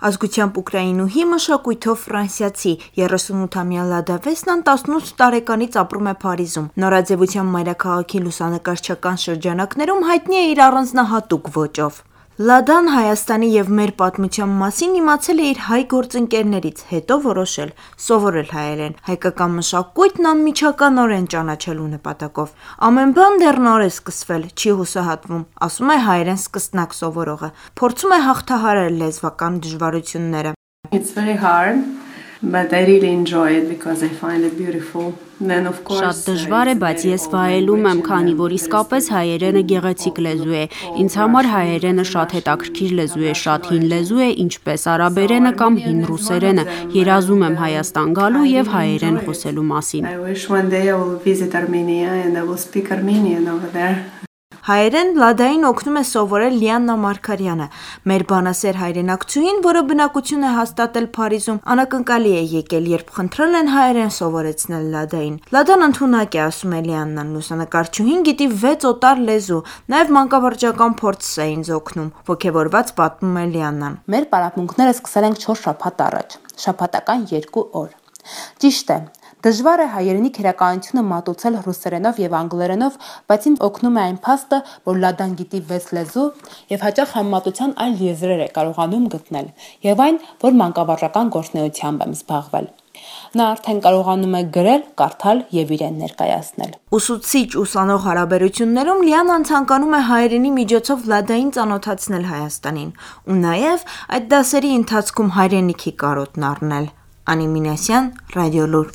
Ազգությամբ ուկրաինուհի, մշակույթով ֆրանսիացի, 38-ամյա Լադա Վեսնան 18 տարեկանից ապրում է Փարիզում։ Նորաձևության մայրաքաղաքի լուսանկարչական շրջանակներում հայտնի է իր առանձնահատուկ ոճով։ Լադան Հայաստանի եւ մեր պատմության մասին իմացել է իր հայ գործընկերներից, հետո որոշել սովորել հայերեն, հայկական մշակույթն անմիջականորեն ճանաչելու նպատակով։ Ամեն բան դեռ նոր է սկսվել, չի հուսահատվում, ասում է հայերեն սկսնակ սովորողը, փորձում է հաղթահարել լեզվական դժվարությունները։ It's very hard, but I really enjoy it because I find it beautiful. Շատ դժվար է, բայց ես վայելում եմ, քանի որ իսկապես հայերենը գեղեցիկ լեզու է։ Ինձ համար հայերենը շատ հետաքրքիր լեզու է, շատ հին լեզու է, ինչպես արաբերենը կամ հին ռուսերենը։ Երազում եմ Հայաստան գալու եւ հայերեն խոսելու մասին։ I wish one day I will visit Armenia and I will speak Armenian over there. Հայերեն Լադային օգնում է սովորել Լիաննա Մարգարյանը։ Մեր բանասեր հայրենակցուհին, որը բնակություն է հաստատել Փարիզում, անակնկալի է եկել, երբ խնդրել են հայերեն սովորեցնել Լադային։ Լադան ընդունակ է, ասում է Լիաննան, լուսանկարչուհին գիտի 6 օտար լեզու, նաև մանկավարժական փորձ է ինձ օգնում, ոգևորված պատմում է Լիաննան։ Մեր պարապմունքները սկսել ենք 4 շաբաթ առաջ, շաբաթական 2 օր։ Ճիշտ է, դժվար է հայերենի քերականությունը մատուցել ռուսերենով եւ անգլերենով, բայց ինձ օգնում է այն փաստը, որ Լադան գիտի 6 լեզու եւ հաճախ համեմատության այլ եզրեր է կարողանում գտնել, եւ այն, որ մանկավարժական գործունեությամբ եմ զբաղվել։ Նա արդեն կարողանում է գրել, կարդալ եւ իրեն ներկայացնել։ Ուսուցիչ-ուսանող հարաբերություններում Լիանան ցանկանում է հայերենի միջոցով Լադային ծանոթացնել Հայաստանին ու նաեւ այդ դասերի ընթացքում հայրենիքի կարոտն առնել։ Անի Մինասյան, Ռադիոլուր։